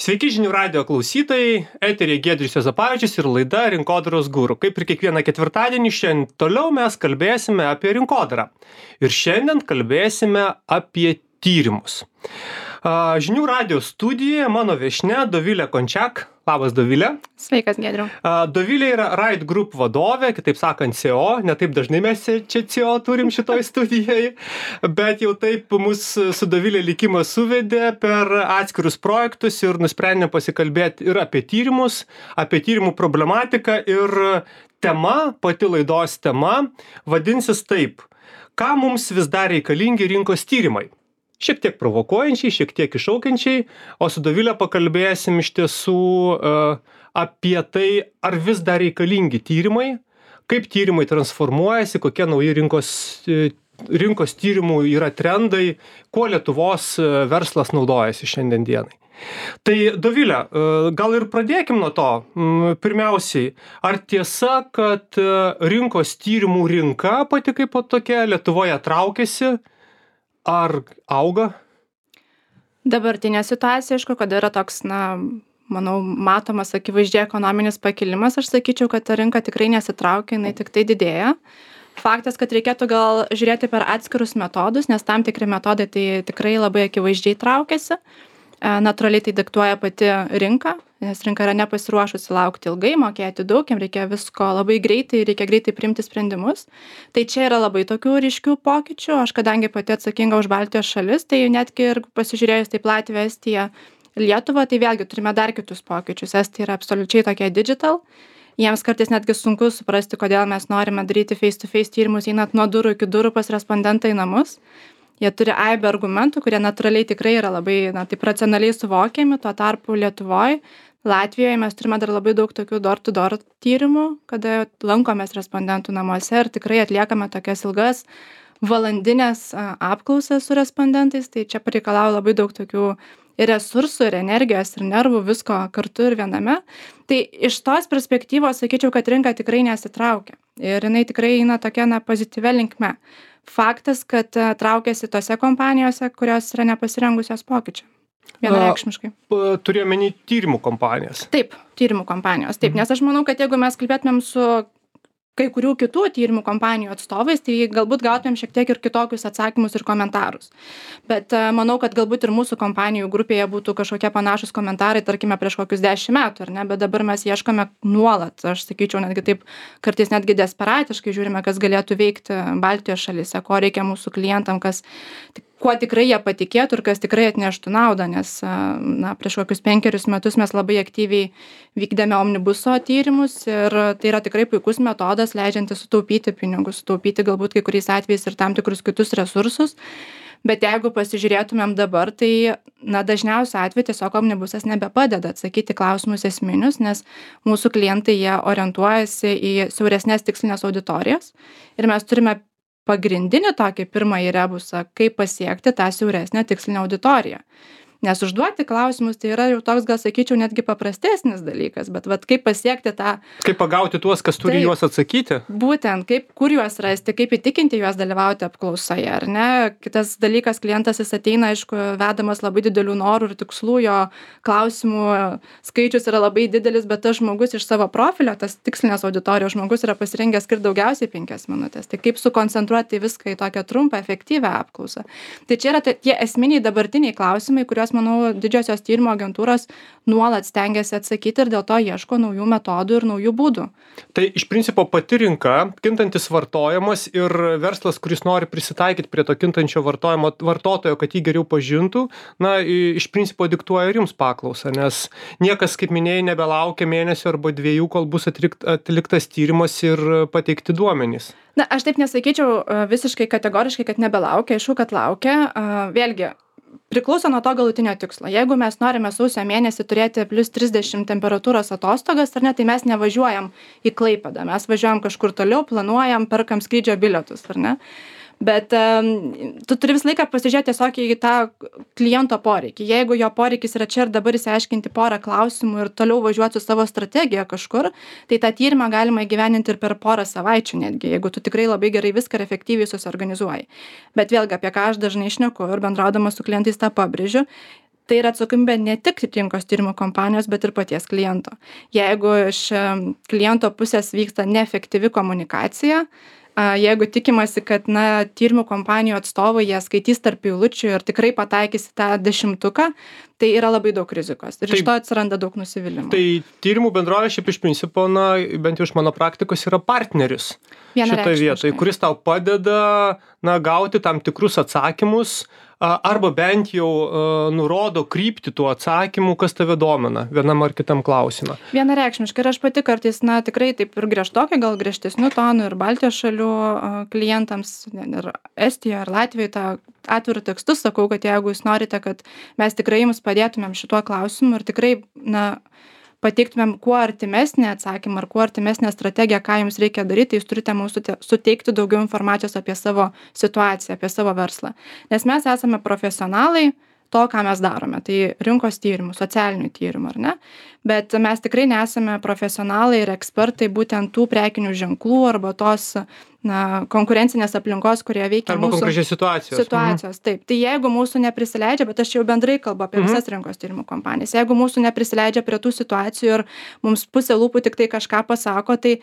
Sveiki žinių radijo klausytojai, eteryje Giedrius Juozapavičius ir laida Rinkodaros guru. Kaip ir kiekvieną ketvirtadienį, šiandien toliau mes kalbėsime apie rinkodarą. Ir šiandien kalbėsime apie tyrimus. Žinių radijo studijoje mano viešnia Dovilė Končiak. Labas, Dovilė. Sveikas, Giedriau. Dovilė yra Right Group vadovė, kitaip sakant CEO. Ne taip dažnai mes čia CEO turim šitoj studijai, bet jau taip mus su Dovilė likimas suvedė per atskirus projektus ir nusprendėme pasikalbėti ir apie tyrimus, apie tyrimų problematiką ir tema, pati laidos tema, vadinsis taip: ką mums vis dar reikalingi rinkos tyrimai? Šiek tiek provokuojančiai, šiek tiek iššaukiančiai, o su Dovilė pakalbėsim iš tiesų apie tai, ar vis dar reikalingi tyrimai, kaip tyrimai transformuojasi, kokie nauji rinkos tyrimų yra trendai, kuo Lietuvos verslas naudojasi šiandien dienai. Tai Dovilė, gal ir pradėkim nuo to. Pirmiausiai, ar tiesa, kad rinkos tyrimų rinka pati kaip tokia Lietuvoje traukiasi? Ar auga? Dabartinė situacija, aišku, kad yra toks, manau, matomas akivaizdžiai ekonominis pakilimas, aš sakyčiau, kad ta rinka tikrai nesitraukia, jinai tik tai didėja. Faktas, kad reikėtų gal žiūrėti per atskirus metodus, nes tam tikri metodai tai tikrai labai akivaizdžiai traukiasi. Natūraliai tai diktuoja pati rinka, nes rinka yra nepasiruošusi laukti ilgai, mokėti daug, jam reikia visko labai greitai, reikia greitai priimti sprendimus. Tai čia yra labai tokių ryškių pokyčių. Aš kadangi pati atsakinga už Baltijos šalis, tai netgi ir pasižiūrėjus taip Latviją, Estiją, Lietuvą, tai vėlgi turime dar kitus pokyčius. Estija yra absoliučiai tokia digital. Jiems kartais netgi sunku suprasti, kodėl mes norime daryti face-to-face tyrimus, einant nuo durų iki durų pas respondentą į namus. Jie turi aibę argumentų, kurie natūraliai tikrai yra labai, taip racionaliai suvokiami. Tuo tarpu Lietuvoje, Latvijoje mes turime dar labai daug tokių door-to-door tyrimų, kada lankomės respondentų namuose ir tikrai atliekame tokias ilgas valandinės apklausas su respondentais. Tai čia pareikalauja labai daug tokių ir resursų, ir energijos, ir nervų, visko kartu ir viename. Tai iš tos perspektyvos sakyčiau, kad rinka tikrai nesitraukia. Ir jinai tikrai eina tokia pozityvia linkme. Faktas, kad traukiasi tose kompanijose, kurios yra nepasirengusios pokyčių. Vienareikšmiškai. Turiu omeny tyrimų kompanijas. Taip, tyrimų kompanijos. Taip, nes aš manau, kad jeigu mes kalbėtumėm su kai kurių kitų tyrimų kompanijų atstovais, tai galbūt gautumėm šiek tiek ir kitokius atsakymus ir komentarus. Bet manau, kad galbūt ir mūsų kompanijų grupėje būtų kažkokie panašus komentarai, tarkime, prieš kokius 10 metų, ar ne? Bet dabar mes ieškome nuolat, aš sakyčiau, netgi taip, kartais netgi desperatiškai žiūrime, kas galėtų veikti Baltijos šalyse, ko reikia mūsų klientam, kuo tikrai jie patikėtų ir kas tikrai atneštų naudą, nes prieš kokius 5 metus mes labai aktyviai vykdėme omnibuso tyrimus ir tai yra tikrai puikus metodas, leidžiantis sutaupyti pinigus, sutaupyti galbūt kai kuriais atvejais ir tam tikrus kitus resursus. Bet jeigu pasižiūrėtumėm dabar, tai dažniausiu atveju tiesiog omnibusas nebepadeda atsakyti klausimus esminius, nes mūsų klientai jie orientuojasi į siauresnės tikslinės auditorijas ir mes turime pagrindinį tokį pirmąjį rebusą, kaip pasiekti tą siauresnę tikslinę auditoriją. Nes užduoti klausimus tai yra jau toks, gal sakyčiau, netgi paprastesnis dalykas, bet kaip pasiekti tą... Kaip pagauti tuos, kas turi juos atsakyti? Būtent, kur juos rasti, kaip įtikinti juos dalyvauti apklausoje, ar ne? Kitas dalykas, klientas jis ateina, aišku, vedamas labai didelių norų ir tikslų, jo klausimų skaičius yra labai didelis, bet tas žmogus iš savo profilio, tas tikslinės auditorijos žmogus yra pasirengęs skirti daugiausiai 5 minutės. Tai kaip sukoncentruoti viską į tokią trumpą, efektyvią apklausą. Tai čia yra tie esminiai dabartiniai klausimai, kuriuos manau, didžiosios tyrimo agentūros nuolat stengiasi atsakyti ir dėl to ieško naujų metodų ir naujų būdų. Tai iš principo pati rinka, kintantis vartojimas ir verslas, kuris nori prisitaikyti prie to kintančio vartotojo, kad jį geriau pažintų, iš principo diktuoja ir jums paklausą, nes niekas, kaip minėjai, nebelaukia mėnesio arba 2, kol bus atliktas tyrimas ir pateikti duomenys. Aš taip nesakyčiau visiškai kategoriškai, kad nebelaukia, aišku, kad laukia. Vėlgi, priklauso nuo to galutinio tikslo. Jeigu mes norime sausio mėnesį turėti +30 temperatūros atostogas, ar ne, tai mes nevažiuojam į Klaipėdą, mes važiuojam kažkur toliau, planuojam, perkam skrydžio bilietus, ar ne? Bet tu turi visą laiką pasižiūrėti tiesiog į tą kliento poreikį. Jeigu jo poreikis yra čia ir dabar išsiaiškinti porą klausimų ir toliau važiuoti su savo strategija kažkur, tai tą tyrimą galima įgyveninti ir per porą savaičių netgi, jeigu tu tikrai labai gerai viską ir efektyviai susiorganizuoji. Bet vėlgi, apie ką aš dažnai šneku ir bendraudama su klientais tą pabrėžiu, tai yra atsakomybė ne tik rinkos tyrimų kompanijos, bet ir paties kliento. Jeigu iš kliento pusės vyksta neefektyvi komunikacija, jeigu tikimasi, kad tyrimų kompanijų atstovai jie skaitys tarp eilučių ir tikrai pataikys į tą 10-tuką, tai yra labai daug rizikos ir iš to atsiranda daug nusivylimų. Tai tyrimų bendrovė šiaip iš principo, bent jau iš mano praktikos, yra partneris šitoje vietoje, kuris tau padeda gauti tam tikrus atsakymus arba bent jau nurodo kryptį tų atsakymų, kas tave domina vienam ar kitam klausimą. Vienareikšmiškai ir aš pati kartais, tikrai taip ir griežtokai, gal griežtesnių tonų ir Baltijos šalių klientams, ir Estijoje, ar Latvijoje tą atvirų tekstus sakau, kad jeigu jūs norite, kad mes tikrai jums padėtumėm šituo klausimu ir tikrai, pateiktumėm kuo artimesnį atsakymą ar kuo artimesnę strategiją, ką jums reikia daryti, jūs turite mums suteikti daugiau informacijos apie savo situaciją, apie savo verslą. Nes mes esame profesionalai to, ką mes darome. Tai rinkos tyrimų, socialinių tyrimų, ar ne? Bet mes tikrai nesame profesionalai ir ekspertai būtent tų prekinių ženklų arba tos konkurencinės aplinkos, kurie veikia arba konkrečiai situacijos. Taip. Tai jeigu mūsų neprisileidžia, bet aš jau bendrai kalbu apie visas rinkos tyrimų kompanijas, jeigu mūsų neprisileidžia prie tų situacijų ir mums pusė lūpų tik tai kažką pasako, tai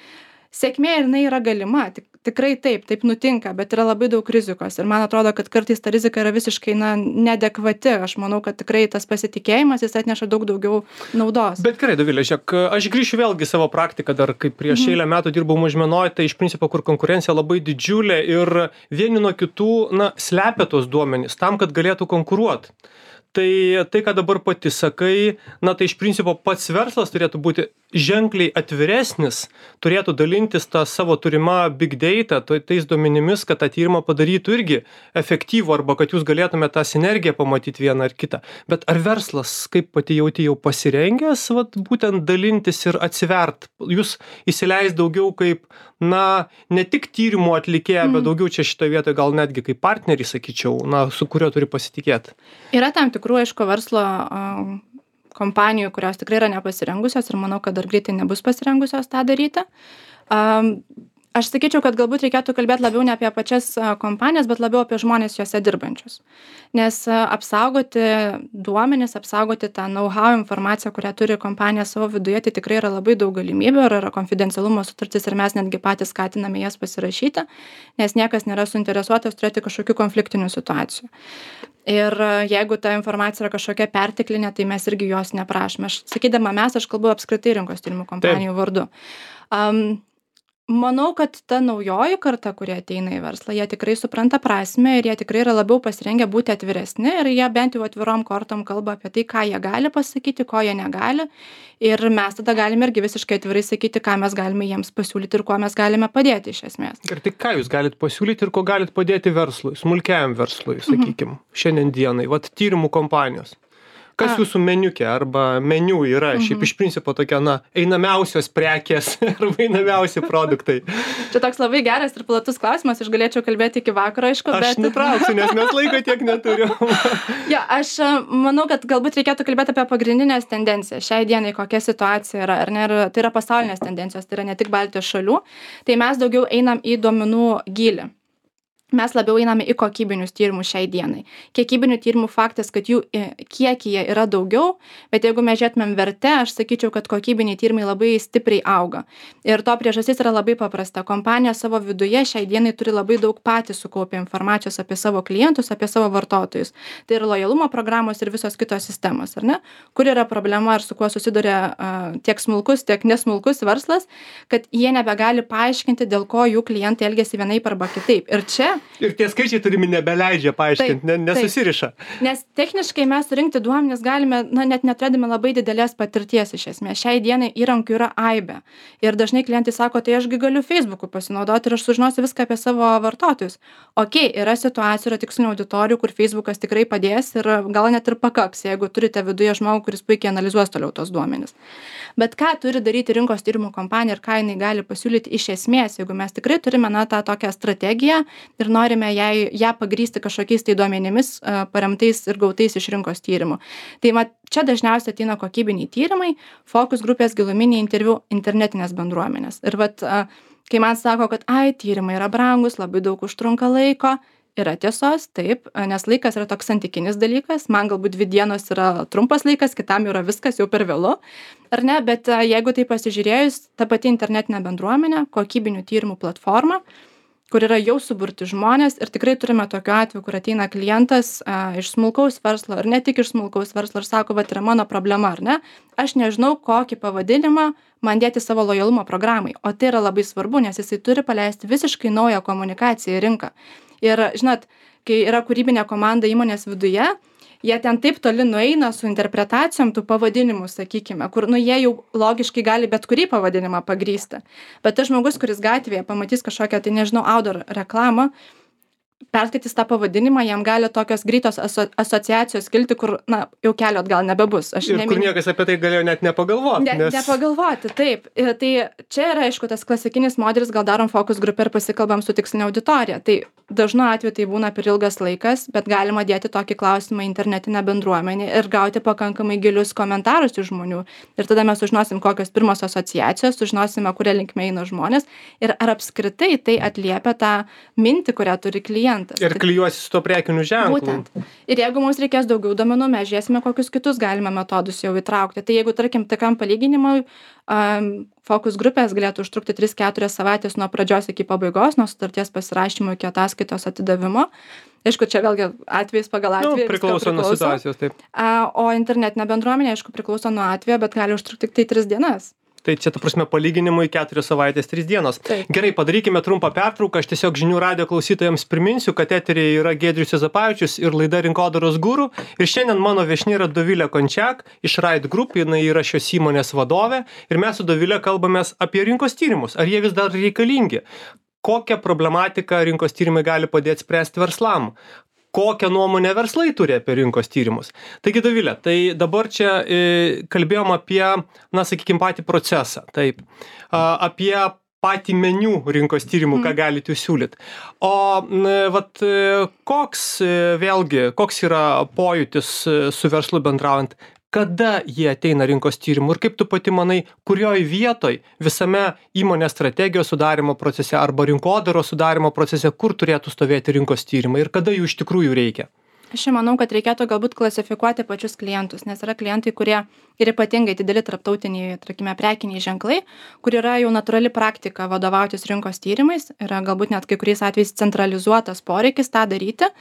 sėkmė ir jinai yra galima, tikrai taip nutinka, bet yra labai daug rizikos ir man atrodo, kad kartais ta rizika yra visiškai neadekvati. Aš manau, kad tikrai tas pasitikėjimas jis atneša daug daugiau naudos. Bet gerai, Dovilė, žiūrėk, aš grįšiu vėlgi savo praktiką, dar kaip prieš eilę metų dirbau Mažmenoj, tai iš principo, kur konkurencija labai didžiulė ir vieni nuo kitų slepia tos duomenys tam, kad galėtų konkuruoti. Tai, ką dabar pati sakai, tai iš principo pats verslas turėtų būti ženkliai atviresnis, turėtų dalintis tą savo turimą big data, tais duomenimis, kad tą tyrimą padarytų irgi efektyvų arba kad jūs galėtume tą sinergiją pamatyti vieną ar kitą. Bet ar verslas, kaip pati jauti, jau pasirengęs būtent dalintis ir atsivert? Jūs įsileis daugiau kaip, ne tik tyrimų atlikėja, bet daugiau čia šitoje vietoje gal netgi kaip partnerį, sakyčiau, su kuriuo turi pasitikėti. Yra tam tikrų, aišku, verslo kompanijų, kurios tikrai yra nepasirengusios ir manau, kad dar greitai nebus pasirengusios tą daryti. Aš sakyčiau, kad galbūt reikėtų kalbėti labiau ne apie pačias kompanijas, bet labiau apie žmonės juose dirbančius. Nes apsaugoti duomenis, apsaugoti tą know-how informaciją, kurią turi kompanija savo viduje, tai tikrai yra labai daug galimybių ir yra konfidencialumo sutartis ir mes netgi patys skatiname jas pasirašyti, nes niekas nėra suinteresuotas turėti kažkokių konfliktinių situacijų. Ir jeigu ta informacija yra kažkokia perteklinė, tai mes irgi jos neprašome. Sakydama aš kalbu apskritai rinkos tyrimų kompanijų vardu. Manau, kad ta naujoji karta, kurie ateina į verslą, jie tikrai supranta prasmę ir jie tikrai yra labiau pasirengę būti atviresni ir jie bent jau atvirom kortom kalba apie tai, ką jie gali pasakyti, ko jie negali. Ir mes tada galime irgi visiškai atvirai sakyti, ką mes galime jiems pasiūlyti ir kuo mes galime padėti iš esmės. Ir tai ką jūs galite pasiūlyti ir ko galite padėti verslui, smulkiajam verslui, sakykim, šiandien dienai, tyrimų kompanijos? Kas jūsų meniukė arba meniu yra šiaip iš principo tokia, einamiausios prekės arba einamiausi produktai? Čia toks labai geras ir platus klausimas, aš galėčiau kalbėti iki vakaro, aišku, bet... Aš nutrauksiu, nes mes laiko tiek neturiu. Aš manau, kad galbūt reikėtų kalbėti apie pagrindinės tendencijas. Šiai dienai kokia situacija yra, ar ne, tai yra pasaulinės tendencijos, tai yra ne tik Baltijos šalių, tai mes daugiau einam į duomenų gylį. Mes labiau einame į kokybinius tyrimus šiai dienai. Kiekybinių tyrimų faktas, kad jų kiekyje yra daugiau, bet jeigu mes žiūrėtumėm verte, aš sakyčiau, kad kokybiniai tyrimai labai stipriai auga. Ir to priežastis yra labai paprasta. Kompanija savo viduje šiai dienai turi labai daug patys sukaupę informacijos apie savo klientus, apie savo vartotojus. Tai yra lojalumo programos ir visos kitos sistemos, ar ne? Kur yra problema ir su kuo susiduria tiek smulkus, tiek nesmulkus verslas, kad jie nebegali paaiškinti, dėl ko jų klientai elgiasi vienaip arba kitaip. Ir čia ir tie skaičiai turimi nebeleidžia paaiškinti, nesusiriša. Nes techniškai mes surinkti duomenis galime, net neturėdami labai didelės patirties iš esmės. Šiai dienai įrankių yra aibė. Ir dažnai klientai sako, tai ašgi galiu Facebook'u pasinaudoti ir aš sužinosiu viską apie savo vartotojus. Yra situacijų, yra tikslinių auditorijų, kur Facebook'as tikrai padės ir gal net ir pakaks, jeigu turite viduje žmogų, kuris puikiai analizuos toliau tos duomenis. Bet ką turi daryti rinkos tyrimų kompanija ir ką jinai gali pasiūlyti iš esmės, jeigu mes tikrai turime tą tokią strategiją ir norime ją pagrįsti kažkokiais tai duomenimis paremtais ir gautais iš rinkos tyrimų. Tai čia dažniausiai ateina kokybiniai tyrimai, fokus grupės, giluminiai interviu, internetinės bendruomenės. Ir kai man sako, kad tyrimai yra brangus, labai daug užtrunka laiko, yra tiesos, taip, nes laikas yra toks santykinis dalykas. Man galbūt 2 dienos yra trumpas laikas, kitam yra viskas jau per vėlu, ar ne? Bet jeigu tai pasižiūrėjus, ta pati internetinė bendruomenė, kokybinių tyrimų platforma, kur yra jau suburti žmonės ir tikrai turime tokiu atveju, kur ateina klientas iš smulkaus verslo ir ne tik iš smulkaus verslo ir sako, vat yra mano problema, ar ne? Aš nežinau, kokį pavadinimą man dėti savo lojalumo programai. O tai yra labai svarbu, nes jisai turi paleisti visiškai naują komunikaciją į rinką. Ir, žinot, kai yra kūrybinė komanda įmonės viduje, jie ten taip toli nueina su interpretacijom tų pavadinimų, sakykime, kur, jie jau logiškai gali bet kurį pavadinimą pagrįsti. Bet tas žmogus, kuris gatvėje pamatys kažkokią, tai nežinau, outdoor reklamą, perskaitys tą pavadinimą, jam gali tokios greitos asociacijos kilti, kur, jau kelio atgal nebebus. Kur niekas apie tai galėjo net nepagalvoti. Nepagalvoti, taip. Tai čia yra, aišku, tas klasikinis modelis, gal darom fokus grupę ir pasikalbam su tikslinė auditorija. Tai dažnu atveju tai būna per ilgas laikas, bet galima dėti tokį klausimą į internetinę bendruomenę ir gauti pakankamai gilius komentarus iš žmonių. Ir tada mes sužinosim, kokios pirmos asociacijos, sužinosime, kuria linkme eina žmonės ir ar apskritai tai atliepia tą mintį, kurią turi klientas. Ir klijuosi su to prekiniu ženklu. Būtent. Ir jeigu mums reikės daugiau duomenų, mes žiūrėsime, kokius kitus galime metodus jau įtraukti. Tai jeigu, tarkim, tokiam palyginimui, fokus grupės galėtų užtrukti 3-4 savaitės nuo pradžios iki pabaigos, nuo sutarties pasirašymo iki ataskaitos atidavimo. Aišku, čia vėlgi atvejais pagal atvejį. Priklauso nuo situacijos, taip. O internetinė bendruomenė, aišku, priklauso nuo atvejo, bet gali užtrukti tik tai 3 dienas. Tai čia, ta prasme, palyginimui 4 savaitės, 3 dienos. Taip. Gerai, padarykime trumpą pertrauką. Aš tiesiog žinių radijo klausytojams priminsiu, kad eteryje yra Giedrius Juozapavičius ir laida Rinkodaros guru. Ir šiandien mano viešnia yra Dovilė Končiak iš Ride Group, jinai yra šios įmonės vadovė. Ir mes su Dovilė kalbamės apie rinkos tyrimus. Ar jie vis dar reikalingi? Kokią problematiką rinkos tyrimai gali padėti spręsti verslam? Kokią nuomonę verslai turi apie rinkos tyrimus. Taigi, Dovilė, tai dabar čia kalbėjom apie, sakykime, patį procesą, taip, apie patį meniu rinkos tyrimų, ką galite jūs siūlyti. O koks yra pojūtis su verslu bendraujant? Kada jie ateina rinkos tyrimų ir kaip tu pati manai, kurioj vietoj visame įmonės strategijos sudarimo procese arba rinkodaros sudarimo procese, kur turėtų stovėti rinkos tyrimai ir kada jų iš tikrųjų reikia? Aš manau, kad reikėtų galbūt klasifikuoti pačius klientus, nes yra klientai, kurie ir ypatingai dideli tarptautiniai, tarkime, prekiniai ženklai, kur yra jau natūrali praktika vadovautis rinkos tyrimais, yra galbūt net kai kuriais atvejais centralizuotas poreikis tą daryti.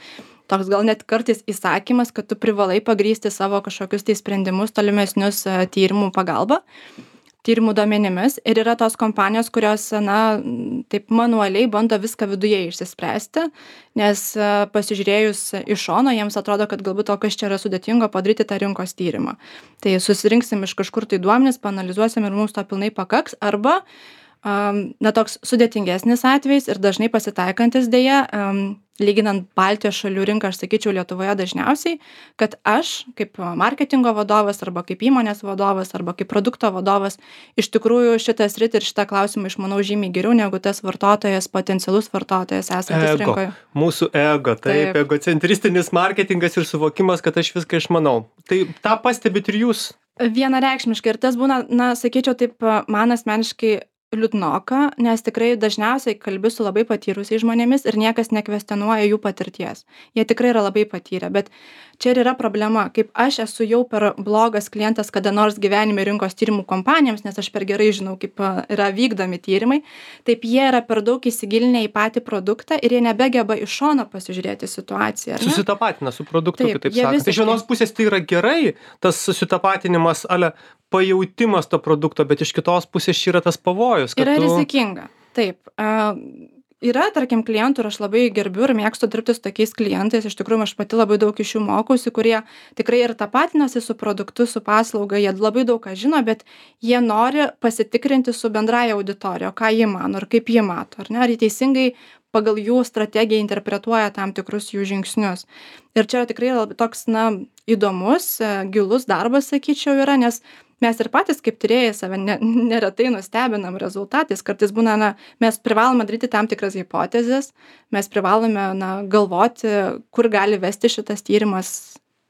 Toks gal net kartais įsakymas, kad tu privalai pagrįsti savo kažkokius tai sprendimus tolimesnius tyrimų pagalba, tyrimų duomenimis. Ir yra tos kompanijos, kurios, taip manualiai bando viską viduje išsispręsti, nes pasižiūrėjus iš šono, jiems atrodo, kad galbūt to, kas čia yra sudėtingo, padaryti tą rinkos tyrimą. Tai susirinksim iš kažkur tai duomenis, paanalizuosim ir mums to pilnai pakaks, arba toks sudėtingesnis atvejis ir dažnai pasitaikantis dėja, lyginant Baltijos šalių rinką, aš sakyčiau Lietuvoje dažniausiai, kad aš kaip marketingo vadovas arba kaip įmonės vadovas arba kaip produkto vadovas iš tikrųjų šitą sritį ir šitą klausimą išmanau žymiai geriau negu tas vartotojas, potencialus vartotojas esantis rinkoje. Mūsų ego, taip, egocentristinis marketingas ir suvokimas, kad aš viską išmanau. Tai tą pastebit ir jūs? Vienareikšmiškai ir tas būna, sakyčiau taip, man asmeniškai liūdnoka, nes tikrai dažniausiai kalbi su labai patyrusiais žmonėmis ir niekas nekvestionuoja jų patirties. Jie tikrai yra labai patyrę, bet čia ir yra problema. Kaip aš esu jau per blogas klientas kada nors gyvenime rinkos tyrimų kompanijoms, nes aš per gerai žinau, kaip yra vykdomi tyrimai, taip jie yra per daug įsigilinę į patį produktą ir jie nebegeba iš šono pasižiūrėti situaciją. Susitapatina su produktu, kitaip sakant. Iš vienos pusės tai yra gerai, tas susitapatinimas, pajautimas to produkto, bet iš kitos pusės čia yra tas pavojus. Yra rizikinga, taip. Yra, tarkim, klientų ir aš labai gerbiu ir mėgstu dirbti su tokiais klientais, iš tikrųjų aš pati labai daug iš jų mokausi, kurie tikrai ir tapatinasi su produktu, su paslauga, jie labai daug ką žino, bet jie nori pasitikrinti su bendraja auditorija, ką jie mano ir kaip jie mato, ar jie teisingai pagal jų strategiją interpretuoja tam tikrus jų žingsnius. Ir čia tikrai toks, įdomus, gilus darbas, sakyčiau, yra, nes mes ir patys kaip tyrėjai save neretai nustebinam rezultatais. Kartais būna, mes privalome daryti tam tikras hipotezes, mes privalome galvoti, kur gali vesti šitas tyrimas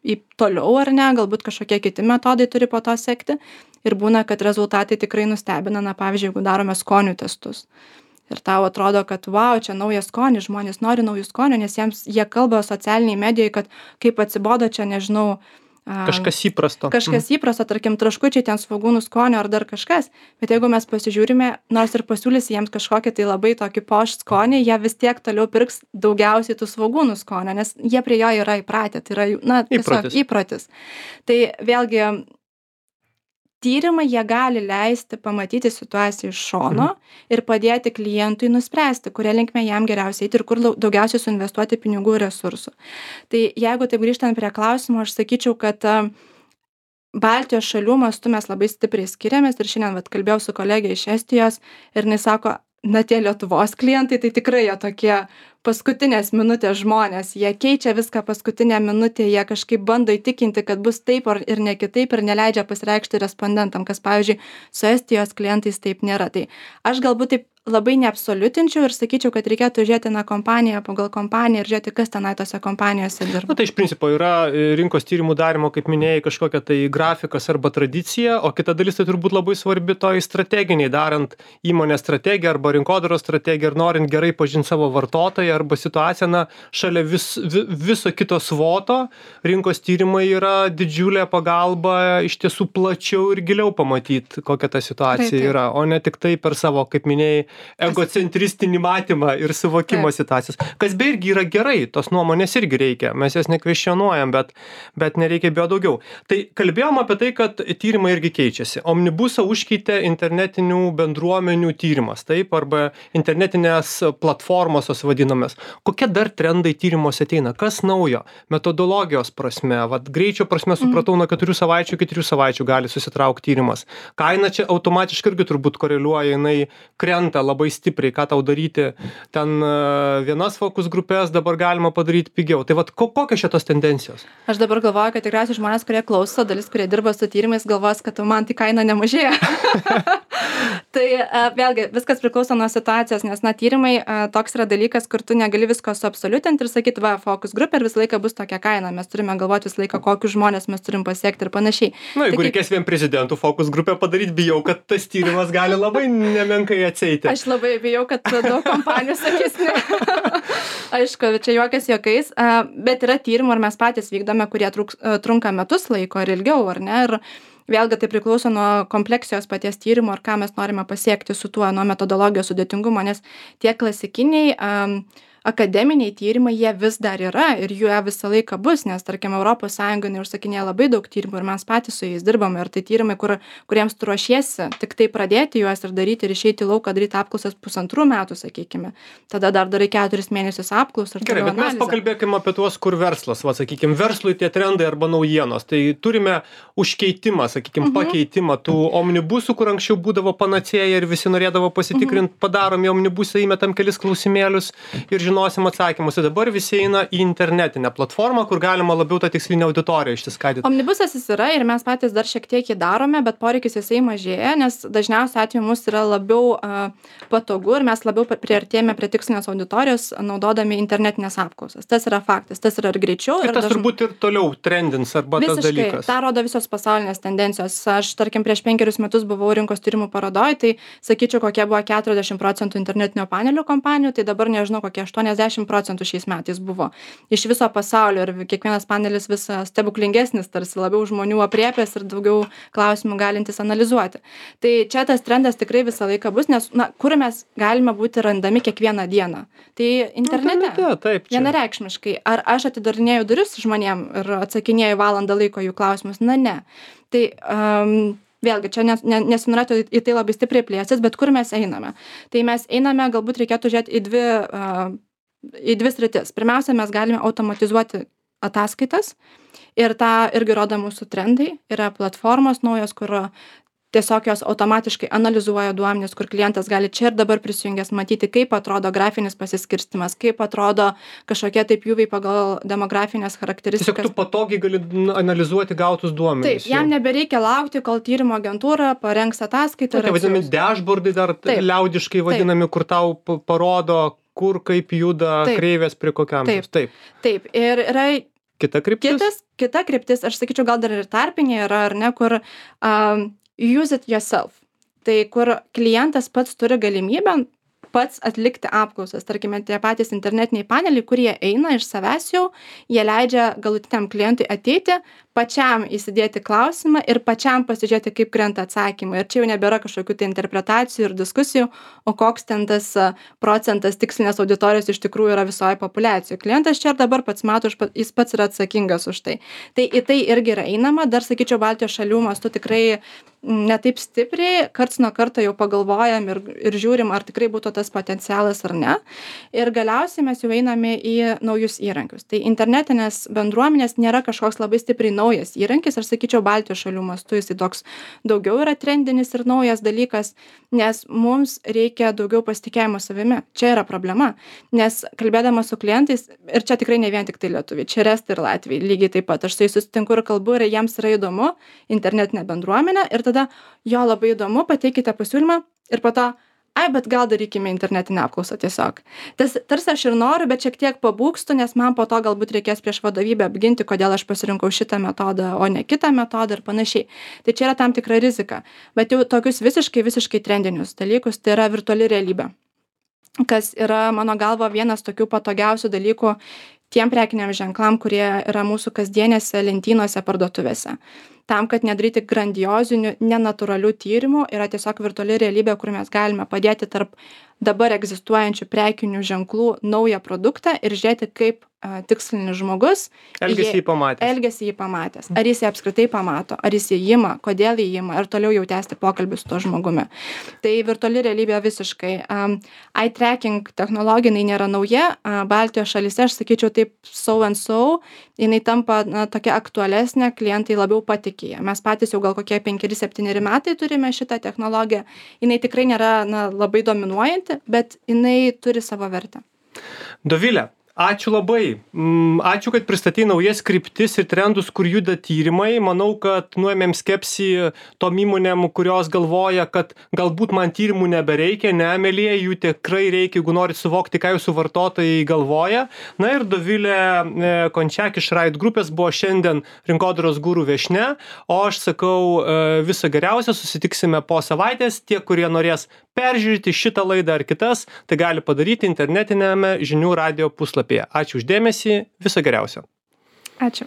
į toliau ar ne, galbūt kažkokie kiti metodai turi po to sekti. Ir būna, kad rezultatai tikrai nustebina, pavyzdžiui, jeigu darome skonių testus. ir tau atrodo, kad wow, čia naujas skonis, žmonės nori naujų skonių, nes jie kalba socialiniai medijai, kad kaip atsibodo čia, nežinau, Kažkas įprasto. Kažkas įprasto, tarkim, traškučiai ten svogūnų skonio ar dar kažkas, bet jeigu mes pasižiūrime, nors ir pasiūlysi jiems kažkokį tai labai tokį poš skonį, jie vis tiek toliau pirks daugiausiai tų svogūnų skonio, nes jie prie jo yra įpratę, tai yra, na, tiesiog įprotis. Tai vėlgi, tyrimai jie gali leisti pamatyti situaciją iš šono ir padėti klientui nuspręsti, kuria linkme jam geriausiai eiti ir kur daugiausiai suinvestuoti pinigų ir resursų. Tai jeigu taip grįžtant prie klausimo, aš sakyčiau, kad Baltijos šalių mastu mes labai stipriai skiriamės ir šiandien kalbėjau su kolegė iš Estijos ir jinai sako, na tie Lietuvos klientai, tai tikrai jie tokie paskutinės minutės žmonės, jie keičia viską paskutinę minutę, jie kažkaip bando įtikinti, kad bus taip ir ne kitaip ir neleidžia pasireikšti respondentam, kas, pavyzdžiui, su Estijos klientais taip nėra. Tai aš galbūt taip labai neabsoliutinčiau ir sakyčiau, kad reikėtų žiūrėti na kompaniją pagal kompaniją ir žiūrėti, kas tenai tose kompanijose dirba. Na tai iš principo yra rinkos tyrimų darimo, kaip minėjai, kažkokia tai grafikas arba tradicija, o kita dalis tai turbūt labai svarbi toj strateginiai, darant įmonės strategiją arba rinkodaros strategiją ir norint gerai pažinti savo vartotoją arba situaciją, na, šalia viso kito svoto, rinkos tyrimai yra didžiulė pagalba iš tiesų plačiau ir giliau pamatyti, kokia ta situacija yra, o ne tik tai per savo, kaip minėjai, egocentristinį matymą ir suvokimo situacijos. Kas be irgi yra gerai, tos nuomonės irgi reikia, mes jas nekvestionuojam, bet nereikia bijo daugiau. Tai kalbėjom apie tai, kad tyrimai irgi keičiasi. Omnibusą užkeitė internetinių bendruomenių tyrimas, taip, arba internetinės platformos vadinamės. Kokie dar trendai tyrimuose ateina? Kas naujo? Metodologijos prasme, greičio prasme supratau, nuo 4 savaičių iki 3 savaičių gali susitraukti tyrimas. Kaina čia automatiškai irgi turbūt koreliuoja, jinai krenta labai stipriai, ką tau daryti. Ten vienas fokus grupės dabar galima padaryti pigiau. Tai kokios šitos tendencijos? Aš dabar galvoju, kad tikriausiai žmonės, kurie klauso, dalis, kurie dirba su tyrimais, galvos, kad man tai kaina nemažėja. Tai vėlgi, viskas priklauso nuo situacijos, nes tyrimai toks yra dalykas, kur tu negali visko suabsoliutinti ir sakyti, fokus grupė ir visą laiką bus tokia kaina. Mes turime galvoti visą laiką, kokius žmonės mes turim pasiekti ir panašiai. Na, jeigu reikės vien prezidentų fokus grupę padaryti, bijau, kad tas tyrimas gali labai nemenkai atsieiti. Aš labai bijau, kad daug kompanijų sakys ne. Aišku, čia juokas juokais, bet yra tyrimų ir mes patys vykdome, kurie trunka metus laiko ir ilgiau, ar ne? Ir vėlgi tai priklauso nuo kompleksijos paties tyrimo ir ką mes norime pasiekti su tuo, nuo metodologijos sudėtingumo, nes tie klasikiniai akademiniai tyrimai, jie vis dar yra ir jų visą laiką bus, nes, tarkim, Europos Sąjunga neužsakinėja labai daug tyrimų ir mes patys su jais dirbame ir tai tyrimai, kuriems tu ruošiesi, tik tai pradėti juos ir daryti ir išeiti į lauką, daryti apklausas 1,5 metų, sakykime. Tada dar darai 4 mėnesius apklausą. Gerai, bet mes pakalbėkime apie tuos, kur verslas, sakykime, verslui tie trendai arba naujienos. Tai turime užkeitimą, sakykime, pakeitimą tų omnibusų, kur anksčiau būdavo panacėja ir visi norėdavo pasitikrinti, padarom į omnibusą, įmetam kelis klausimėlius ir žinosim atsakymus. Ir dabar visi eina į internetinę platformą, kur galima labiau tą tikslinę auditoriją išsiskaidyti. Omnibusas jis yra ir mes patys dar šiek tiek jį darome, bet poreikis jisai mažėja, nes dažniausiai atveju mums yra labiau patogu ir mes labiau priartėjame prie tikslinės auditorijos naudodami internetinės apklausas. Tas yra faktas, tas yra ir greičiau. Ir tas turbūt ir toliau trendins arba tas dalykas. Visiškai, tą rodo visos pasaulinės tendencijos. Aš, tarkim, prieš 5 metus buvau rinkos tyrimų parodoj, tai sakyčiau, kokie buvo 40% internetinio panelio kompanijų, tai dabar nežinau, kokie 80% šiais metais buvo iš viso pasaulio ir kiekvienas panelis vis stebuklingesnis, tarsi labiau žmonių apriepęs ir daugiau klausimų galintis analizuoti. Tai čia tas trendas tikrai visą laiką bus, nes kur mes galime būti randami kiekvieną dieną. Tai internete. Taip, vienareikšmiškai. Ar aš atidarinėju duris žmonėm ir atsakinėju valandą laiko jų klausimus? Na, ne. Tai vėlgi, čia nesinorėtų į tai labai stipriai plėstis, bet kur mes einame? Tai mes einame, galbūt reikėtų žiūrėti į dvi sritis. Pirmiausia, mes galime automatizuoti ataskaitas ir tą irgi rodo mūsų trendai. Yra platformos naujos, kur tiesiog jos automatiškai analizuoja duomenis, kur klientas gali čia ir dabar prisijungęs matyti, kaip atrodo grafinis pasiskirstimas, kaip atrodo kažkokie tai pjūviai pagal demografinės charakteristikas. Tiesiog tu patogiai gali analizuoti gautus duomenis. Taip, jam nebereikia laukti, kol tyrimo agentūra parengs ataskaitą. Tai vadinami dashboardai dar liaudiškai vadinami, kur tau parodo, kur kaip juda kreivės prie kokiam. Taip. Ir yra kita kryptis. Kita kryptis, aš sakyčiau, gal dar ir tarpinė yra, ar ne, kur use it yourself. Tai kur klientas pats turi galimybę pats atlikti apklausas. Tarkime, tie patys internetiniai paneliai, kurie eina iš savęs jau, jie leidžia galutiniam klientui ateiti, pačiam įsidėti klausimą ir pačiam pasižiūrėti, kaip krenta atsakymai. Ir čia jau nebėra kažkokių tai interpretacijų ir diskusijų, o koks ten tas procentas tikslinės auditorijos iš tikrųjų yra visoje populiacijoje. Klientas čia ir dabar pats mato, jis pats yra atsakingas už tai. Tai į tai irgi yra einama, dar sakyčiau, Baltijos šalių mastu tikrai netaip stipriai, karts nuo karto jau pagalvojam ir žiūrim, ar tikrai būtų tas potencialas ar ne. Ir galiausiai mes jau einame į naujus įrankius. Tai internetinės bendruomenės nėra kažkoks labai stipriai naujas įrankis, aš sakyčiau, Baltijos šalių mastu jisai toks daugiau yra trendinis ir naujas dalykas, nes mums reikia daugiau pasitikėjimo savimi. Čia yra problema, nes kalbėdama su klientais, ir čia tikrai ne vien tik tai lietuviai, čia ir estai ir latviai, lygiai taip pat, aš su jais susitinku ir kalbu ir jiems yra įdomu internetinė bendruomenė ir tada jo labai įdomu, pateikite pasiūlymą ir po to bet gal darykime internetinę apklausą tiesiog. Tarsi aš ir noriu, bet šiek tiek pabūgstu, nes man po to galbūt reikės prieš vadovybę apginti, kodėl aš pasirinkau šitą metodą, o ne kitą metodą ir panašiai. Tai čia yra tam tikra rizika. Bet jau tokius visiškai trendinius dalykus, tai yra virtuali realybė, kas yra mano galva vienas tokių patogiausių dalykų tiem prekiniam ženklam, kurie yra mūsų kasdienėse lentynose parduotuvėse. Tam, kad nedaryti grandiozinių, nenatūralių tyrimų, yra tiesiog virtuali realybė, kur mes galime padėti tarp dabar egzistuojančių prekinių ženklų naują produktą ir žiūrėti, kaip tikslinis žmogus elgiasi jį pamatęs. Ar jis jį apskritai pamato, ar jis jį ima, kodėl jį ima ir toliau jau tęsti pokalbį su tuo žmogumi. Tai virtuali realybė visiškai. Eye tracking technologija nėra nauja. Baltijos šalyse, aš sakyčiau, taip so and so, jinai tampa tokia aktualesnė, klientai labiau patikė. Mes patys jau gal kokie 5-7 metai turime šitą technologiją. Jinai tikrai nėra labai dominuojanti, bet jinai turi savo vertę. Dovilė, ačiū labai. Ačiū, kad pristatei naujas kryptis ir trendus, kur juda tyrimai. Manau, kad nuėmėm skepsį tom įmonėm, kurios galvoja, kad galbūt man tyrimų nebereikia, nemelėje, jų tikrai reikia, jeigu nori suvokti, ką jūsų vartotojai galvoja. Na ir Dovilė Končiak iš Right grupės buvo šiandien rinkodaros guru viešnia, o aš sakau viso geriausio, susitiksime po savaitės. Tie, kurie norės peržiūrėti šitą laidą ar kitas, tai gali padaryti internetinėme žinių radijo puslapyje. Ačiū už dėmesį, viso geriausio. Ačiū.